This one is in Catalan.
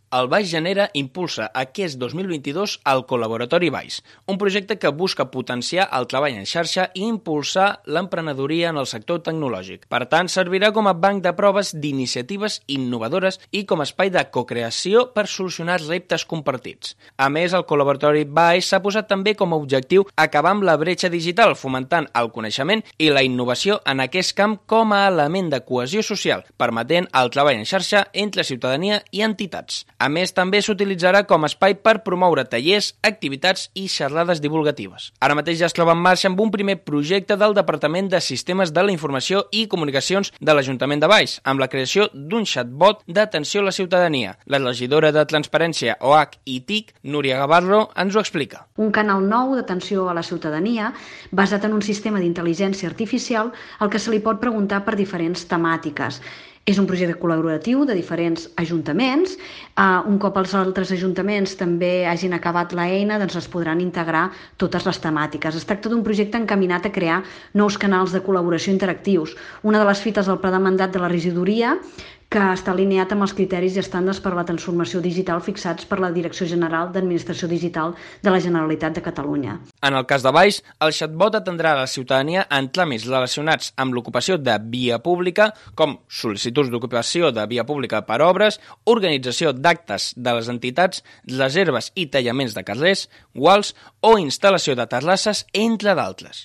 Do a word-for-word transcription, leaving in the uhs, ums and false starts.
El Baix Genera impulsa aquest dos mil vint-i-dos el Col·laboratori Baix, un projecte que busca potenciar el treball en xarxa i impulsar l'emprenedoria en el sector tecnològic. Per tant, servirà com a banc de proves d'iniciatives innovadores i com a espai de cocreació per solucionar reptes compartits. A més, el Col·laboratori Baix s'ha posat també com a objectiu acabar amb la bretxa digital, fomentant el coneixement i la innovació en aquest camp com a element de cohesió social, permetent el treball en xarxa entre ciutadania i entitats. A més, també s'utilitzarà com a espai per promoure tallers, activitats i xerrades divulgatives. Ara mateix ja es troba en marxa amb un primer projecte del Departament de Sistemes de la Informació i Comunicacions de l'Ajuntament de Baix, amb la creació d'un chatbot d'atenció a la ciutadania. La regidora de Transparència, O H i T I C, Núria Gavarro, ens ho explica. Un canal nou d'atenció a la ciutadania basat en un sistema d'intel·ligència artificial al que se li pot preguntar per diferents temàtiques. És un projecte col·laboratiu de diferents ajuntaments. Uh, un cop els altres ajuntaments també hagin acabat l'eina, doncs es podran integrar totes les temàtiques. Es tracta d'un projecte encaminat a crear nous canals de col·laboració interactius. Una de les fites del pla de mandat de la regidoria que està alineat amb els criteris i estàndards per a la transformació digital fixats per la Direcció General d'Administració Digital de la Generalitat de Catalunya. En el cas de Baix, el chatbot atendrà a la ciutadania en tràmits relacionats amb l'ocupació de via pública, com sol·licituds d'ocupació de via pública per obres, organització d'actes de les entitats, reserves i tallaments de carrers, guals o instal·lació de terrasses, entre d'altres.